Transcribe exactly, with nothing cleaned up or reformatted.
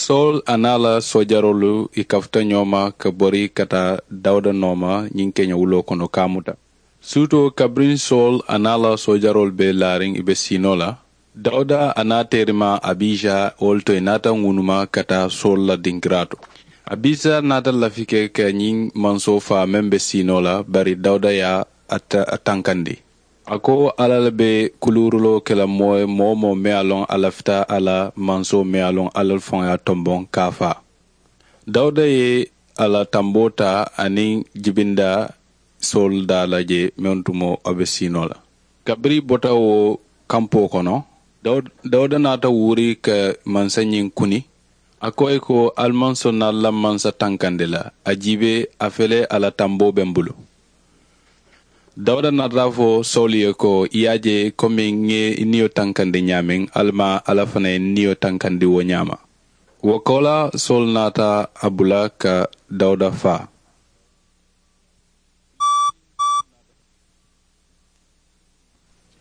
Sowulu a niŋ a la soojaroolu i kafuta ñoo ma ka bori ka taa dawuda nooma ñiŋ keña wuloo kono ka a muta. Suutoo kabiriŋ sowulu a niŋ a la soojaroolu be laariŋ i be siinoo la, dawuda a niŋ a teerimaa abiisa wolu to i naata ŋunuma ka taa sowulu la dinkiraa to. Abiisa naata lafi ke ka ñiŋ mansoo faa meŋ be siinoo la, bari dawuda ye a tankandi. A ko, alla le be kuluuruloo ke la moo ye moo-wo-moo meŋ ye a loŋ a lafita a la mansoo meŋ ye a loŋ alla le faŋo ye a tomboŋ ka a faa. Dawuda ye a la tamboo taa aniŋ jibindaa sowulu daa la je meŋ tumoo a be siinoo la. Kabiriŋ i bota wo kampoo kono, dawuda naata wuuri ka mansa ñiŋ kuni. A ko ì ko, ali maŋ sonna ali la mansa tankandi la. A jiibee, a fele a la tamboo be m bulu. Dawuda naata a fo sowulu ye ko, i ye a je komi ŋ ŋe i niyo tankandi ñaameŋ, ali maŋ alla fanaa ye n niyo tankandi wo ñaama. Wo koolaa sowulu naata a bula ka dawuda faa.